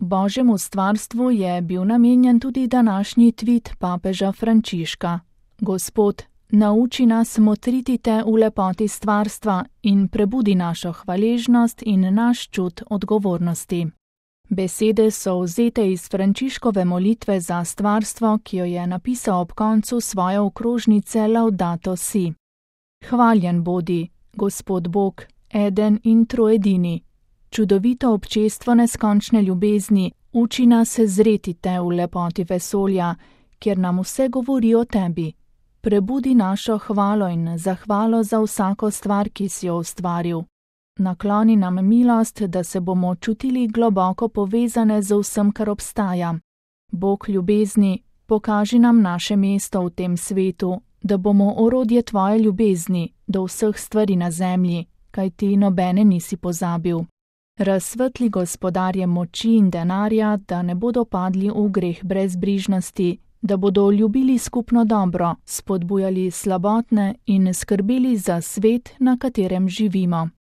Božjemu stvarstvu je bil namenjen tudi današnji tvit papeža Frančiška. Gospod, nauči nas motriti te v lepoti stvarstva in prebudi našo hvaležnost in naš čut odgovornosti. Besede so vzete iz Frančiškove molitve za stvarstvo, ki jo je napisal ob koncu svoje okrožnice Laudato si. Hvaljen bodi, Gospod Bog, eden in troedini. Čudovito občestvo neskončne ljubezni, uči nas zreti te v lepoti vesolja, kjer nam vse govori o tebi. Prebudi našo hvalo in zahvalo za vsako stvar, ki si jo ustvaril. Nakloni nam milost, da se bomo čutili globoko povezane z vsem, kar obstaja. Bog ljubezni, pokaži nam naše mesto v tem svetu, da bomo orodje tvoje ljubezni do vseh stvari na zemlji, kaj ti nobene nisi pozabil. Razsvetli gospodarje moči in denarja, da ne bodo padli v greh brezbrižnosti, da bodo ljubili skupno dobro, spodbujali slabotne in skrbeli za svet, na katerem živimo.